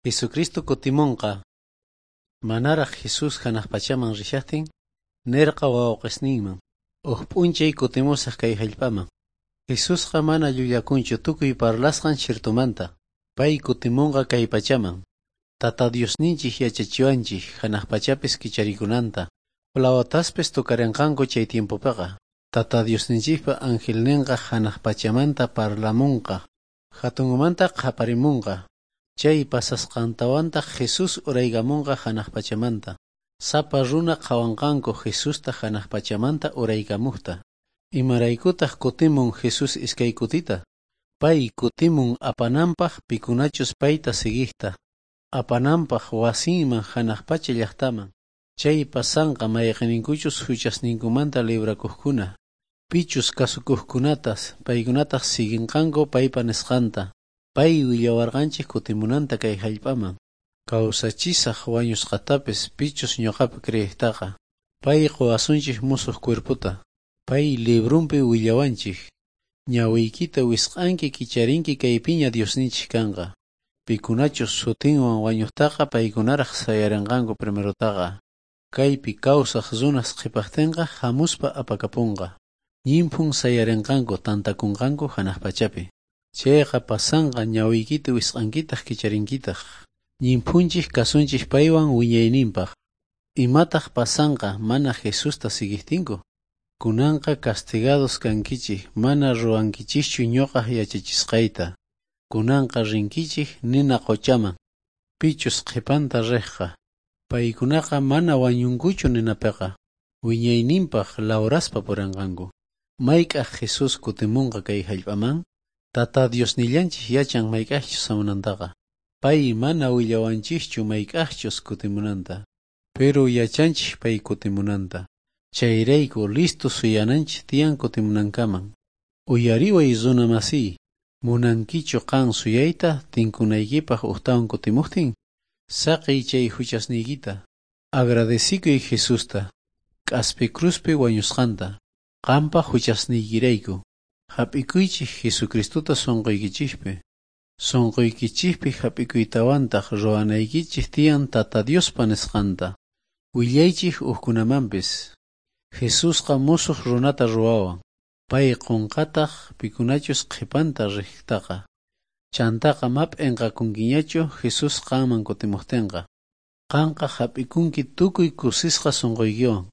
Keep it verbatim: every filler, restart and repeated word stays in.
Jesucristo kutimonqa. Manaraj Jesús janaj pachaman rishajtin, nerqa wawqesninman, uj p'unchay kutimusaj kay jallp'aman. Jesusqa mana llullakunchu tukuy parlasqan chirtumanta. Pay kutimonqa kay pachaman. Tata Diosninchik yachachiwanchik janaj pachapis kicharikunanta. Flawataspis tocarenqanku chay tiempopiqa. Tata Diosninchikpa angelninqa janaj pachamanta parlamunqa. Hatunmanta qhaparimunqa. Chay pasasqantawantaq Jesús uraykamunqa janaj pachamanta. Sapa runa qhawanqanku Jesusta janaj pachamanta uraykamujta. Imaraykutaq kutimun Jesús iskay kutita? Pay kutimun apananpaq pikunachus payta siguijta. Apananpaq wasinman janaj pacha llaqtaman. Chay pasanqa mayqinninkuchus huchasninkumanta librakuqkuna. Pichus kasukuqkunatas paykunataq siguinqanku paypa nisqanta. Pay willawarqanchik kutimunanta kay jallp'aman. Kawsachisaq wañusqatapis pichus ñuqapi creejtaqa. Pay quwasunchik musuq cuerpota. Pay librunpi willawanchik. Ñawiykita wisq'anki kicharinki kaypiña Diosninchik kanqa. Pikunachus sutinwan wañuqtaqa paykunaraq sayarinqanku primerotaqa. Kaypi kawsaq runas qhipaqtinqa hamuspa apakapunqa. Ñinphun sayarinqanku tantakunqanku hanaq pachapi. Chayqa pasanqa ñawiykita wisq'ankitaq kicharinkitaq. Ñinphunchik kasunchik paywan wiñayninpaq. Imataq pasanqa mana Jesusta siguijtinku? Kunanqa castigados kankichik mana ruwankichischu ñuqaj yachachisqayta. Kunanqa rinkichik nina quchaman. Pichus qhipanta riqqa. Paykunaqa mana wañunkuchu ninapiqa. Wiñayninpaq lawraspa purinqanku. Mayk'aj Jesús kutimunqa kay jallp'aman? Tata Diosnillanchik yachan mayk'ajchus hamunantaqa. Pay mana willawanchikchu mayk'ajchus kutimunanta. Pero yachanchik pay kutimunanta. Chayrayku listo suyananchik tiyan kutimunankaman. Uyariway runa masiy, munankichu qan suyayta tinkunaykipaq ujtawan kutimuqtin? Saqiy chay huchasniykita. Agradecikuy Jesusta, k'aspi cruzpi wañusqanta, qampa huchasniykirayku. Hap'ikuychik Jesucristota sunquykichikpi. Sunquykichikpi hap'ikuytawantaq ruwanaykichik tiyan Tata Diospa nisqanta. Willaychik hukkunamanpis. Jesusqa musuq runata ruwawan. Pay qunqataq pikunachus qhipanta riqtaqa. Chantaqa ma p'inqakunkiñachu Jesús qanman kutimuqtinqa. Qanqa hap'ikunki tukuy kusisqa sunquykiwan.